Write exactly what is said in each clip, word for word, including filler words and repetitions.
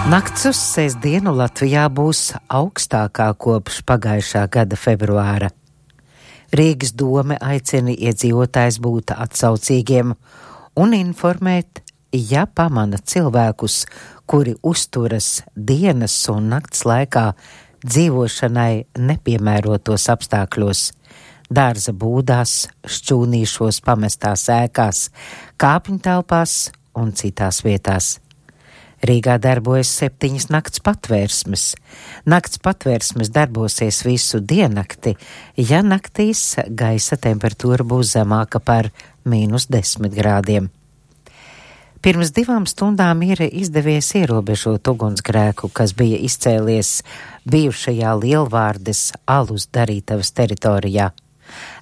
Nakts uz sestdienu Latvijā būs augstākā kopš pagājušā gada februāra. Rīgas dome aicina iedzīvotājs būt atsaucīgiem un informēt, ja pamana cilvēkus, kuri uzturas dienas un nakts laikā dzīvošanai nepiemērotos apstākļos, dārza būdās, šķūnīšos, pamestās ēkās, kāpņu telpās un citās vietās. Rīgā darbojas septiņas nakts patvērsmes. Nakts patvērsmes darbosies visu diennakti, ja naktīs gaisa temperatūra būs zemāka par mīnus desmit grādiem. Pirms divām stundām ir izdevies ierobežot ugunsgrēku, kas bija izcēlies bijušajā Lielvārdes alus darītavas teritorijā.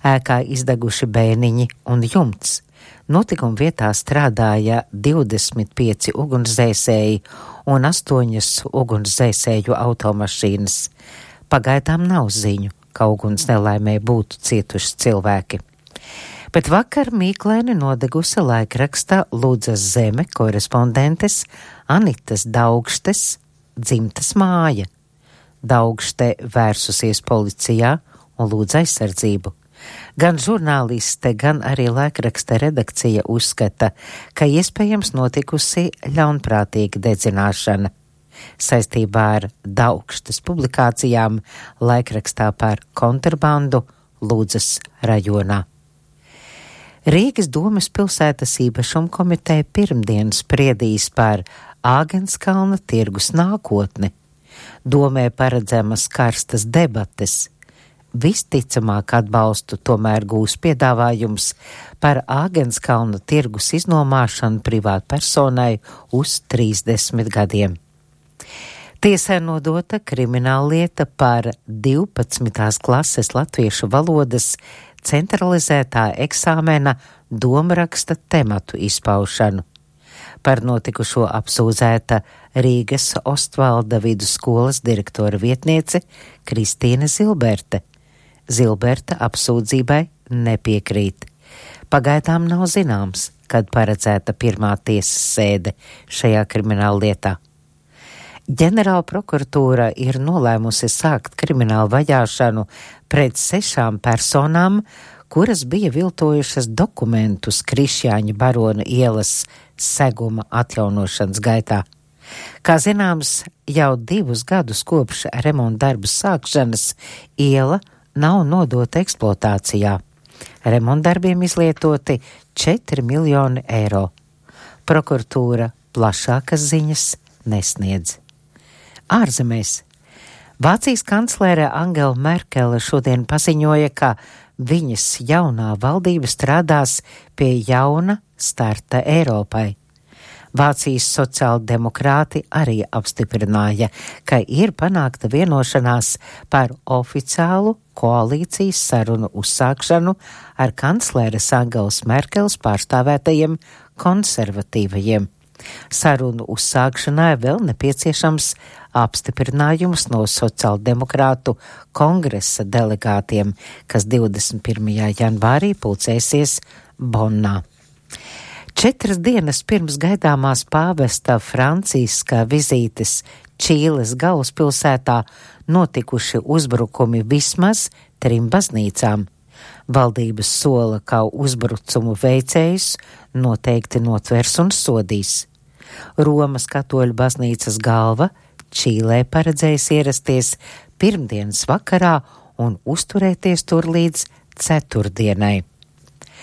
Ēkā izdeguši bēniņi un jumts. Notikuma vietā strādāja divdesmit pieci ugunsdzēsēji un astoņas ugunsdzēsēju automašīnas. Pagaidām nav ziņu, ka uguns nelaimē būtu cietuši cilvēki. Bet vakar mīklaini nodegusi laikraksta Ludzas Zeme korespondentes Anitas Daugštes dzimtas māja. Daugšte vērsusies policijā un lūdz aizsardzību. Gan žurnāliste, gan arī laikraksta redakcija uzskata, ka iespējams notikusi ļaunprātīga dedzināšana. Saistībā ar Daugštes publikācijām laikrakstā par kontrabandu Ludzas rajonā. Rīgas domes pilsētas īpašuma komiteja pirmdien spriedīs par Āgenskalna tirgus nākotni. Domē paredzamas karstas debates. Visticamāk atbalstu tomēr gūs piedāvājums par Āgenskalna tirgus iznomāšanu privātpersonai uz trīsdesmit gadiem. Tiesai nodota krimināllieta par divpadsmitās klases latviešu valodas centralizētā eksāmena domraksta tematu izpaušanu. Par notikušo apsūdzēta Rīgas Ostvalda vidusskolas direktora vietniece Kristīne Zilberte. Zilberta apsūdzībai nepiekrīt. Pagaidām nav zināms, kad paredzēta pirmā tiesas sēde šajā krimināllietā. Ģenerāla prokuratūra ir nolēmusi sākt kriminālu vajāšanu pret sešām personām, kuras bija viltojušas dokumentus Krišjāņa barona ielas seguma atjaunošanas gaitā. Kā zināms, jau divus gadus kopš remonta darbu sākšanas iela nav nodota eksploatācijā. Remontdarbiem izlietoti četri miljoni eiro. Prokuratūra plašākas ziņas nesniedz. Ārzemēs. Vācijas kanclere Angela Merkele šodien paziņoja, ka viņas jaunā valdība strādās pie jauna starta Eiropai. Vācijas sociāldemokrāti arī apstiprināja, ka ir panākta vienošanās par oficiālu koalīcijas sarunu uzsākšanu ar kancleres Angelas Merkeles pārstāvētajiem konservatīvajiem. Sarunu uzsākšanai vēl nepieciešams apstiprinājums no sociāldemokrātu kongresa delegātiem, kas divdesmit pirmajā janvārī pulcēsies Bonnā. Četras dienas pirms gaidāmās pāvesta Franciska vizītes Čīles galvaspilsētā notikuši uzbrukumi vismaz trim baznīcām. Valdības sola, ka uzbrukumu veicējus noteikti notvers un sodīs. Romas katoļu baznīcas galva Čīlē paredzējis ierasties pirmdienas vakarā un uzturēties tur līdz ceturtdienai.